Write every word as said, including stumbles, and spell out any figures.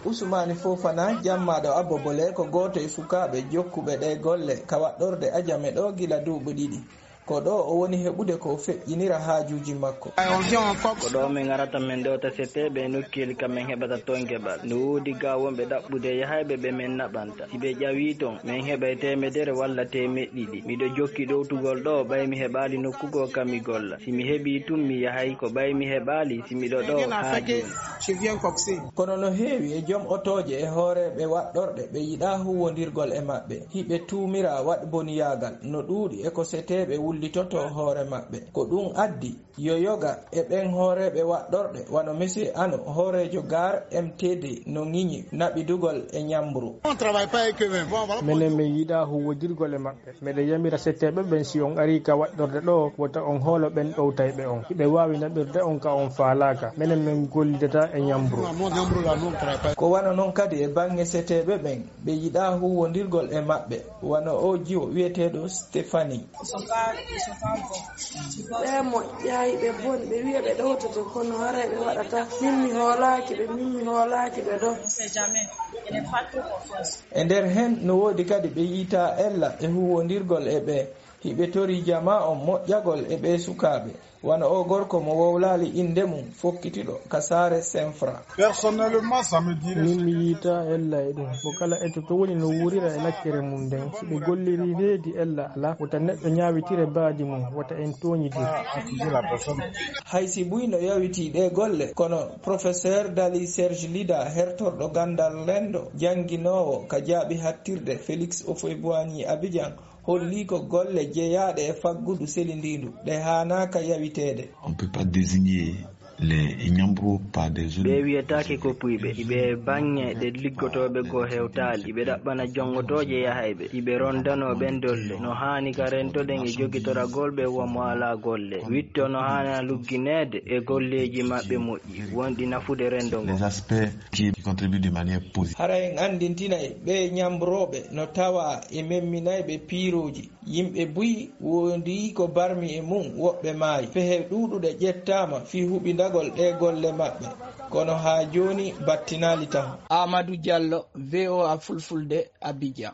Usmani Fofana, jammaaɗo Abbo Bole, ko gooto e sukaaɓe jokkuɓe ɗee golle ka waɗɗorde Ajame ɗoo gila duuɓi ɗiɗi. Ko ɗoo o woni heɓude ko feƴƴinira haajuuji makko. Ko ɗoo min arata min ɗowta setteeɓe e nokkeeli ka min heɓata toon keɓal. No woodi gaa wonɓe ɗaɓɓude yahayɓe ɓe min naɓanta. Si ɓe ƴawii toon, min heɓay teemedere walla teemeɗɗe ɗiɗi. Miɗo jokki ɗowtugol ɗoo ɓay mi heɓaali nokku goo ka mi golla. Si mi heɓii tun, mi yahay, ko ɓay mi heɓaali si miɗo ɗoo haa jooni. Kono no heewi e jom otooje e hooreeɓe waɗɗorɗe ɓe yiɗaa huuwondirgol e maɓɓe. Hiɓe tuumiraa waɗboniyaagal no ɗuuɗi e ko seteeɓe wullitotoo hoore maɓɓe. Ko ɗun addi yo yoga e ɓen hooreeɓe waɗɗorɗe wano Monsieur Ano, hooreejo Gare M T D, no ŋiñi naɓidugol e ñambru. Menen min yiɗaa huuwondirgol e maɓɓe. Miɗo yamira setteeɓe ɓen, si on arii ka waɗɗorde ɗoo, wota on hoolo ɓen ɗowtayɓe on. Hiɓe waawi naɓirde on ka on faalaaka. Menen min gollidataa e ñambru. Ko wano non kadi e baŋŋe seteeɓe ɓen, ɓe yiɗaa huuwondirgol e maɓɓe, wano oo jiwo wi'eteeɗo Stéphanie. Ɓe moƴƴaay, ɓe boni, ɓe wi'a ɓe ɗowtoto, kono haray ɓe waɗataa. Min mi hoolaaki ɓe, min mi hoolaaki ɓe ɗoo. E nder hen, no woodi kadi ɓe yiitaa ella e huuwondirgol e ɓe. Hiɓe torii jamaa on moƴƴagol e ɓee sukaaɓe, wano oo gorko mo wowlaali innde mun, fokkitiiɗo ka saare Senfra. Personnellement, ça me dirait. Min mi yiitaa ella e ɗum. Mo kala etto to woni no wuurira e lakkere mun nden. Si ɓe gollirii reedi, ella alaa. Wota neɗɗo ñaawitire baadi mun. Wota en tooñidir. Hay si buy no yawitii ɗee golle, kono Professeur Dali Serge Lida, hertorɗo ganndal renndo, jannginoowo ka jaaɓi hattirde Félix Houphouët-Boigny Abidjan, holli ko golle jeyaaɗe e faggudu selindiindu ɗe haanaaka yawiteede. On peut pas désigner les Nyambro par des zones. Ɓe wiyetaake ko puyɓe, iɓe e baŋŋe ɗe liggotooɓe goo hewtaali, iɓe ɗaɓɓana jongotooje yahayɓe, iɓe rondanoo ɓen dolle. No haani ka rentoɗen e jogitoragol ɓe wamo alaa golle. Witto no haana luggineede e golleeji maɓɓe moƴƴi, wonɗi nafude renndo ngo. Les aspects qui, qui contribuent de manière positive. Hara en anndintinay ɓee ñambrooɓe no tawaa e memminayɓe piirooji. Yimɓe buy wondi ko barmi e mun, woɓɓe maayi. Pehe ɗuuɗuɗe ƴettaama fii huɓindagol ɗee golle maɓɓe, kono haa jooni battinaali tan. Amadou Diallo, V O A Fulfulde, Abidjan.